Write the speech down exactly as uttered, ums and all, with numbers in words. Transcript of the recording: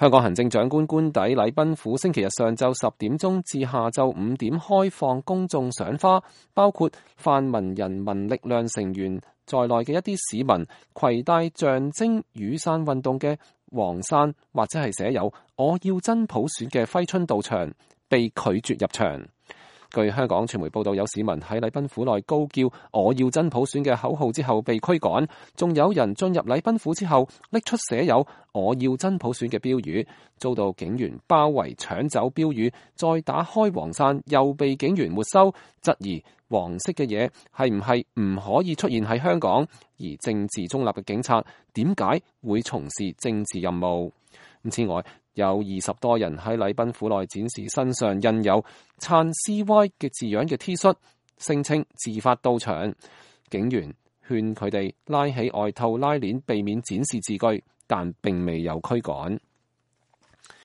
香港行政長官官邸禮賓府星期日上晝十點鐘至下晝五點開放公眾賞花，包括泛民人民力量成員在內嘅一啲市民攜帶象徵雨傘運動嘅黃傘或者係寫有我要真普選嘅揮春到場，被拒絕入場。據香港傳媒報道，有市民喺禮賓府內高叫我要真普選嘅口號之後被驅趕，仲有人進入禮賓府之後拎出寫有我要真普選嘅標語，遭到警員包圍搶走標語，再打開黃傘又被警員沒收，質疑黃色嘅嘢係唔係唔可以出現喺香港，而政治中立嘅警察點解會從事政治任務？此外，有二十多人喺禮賓府內展示身上印有撐 C Y 嘅字樣嘅 T 恤，聲稱自發到場。警員勸佢哋拉起外套拉鏈，避免展示字句，但並未有驅趕。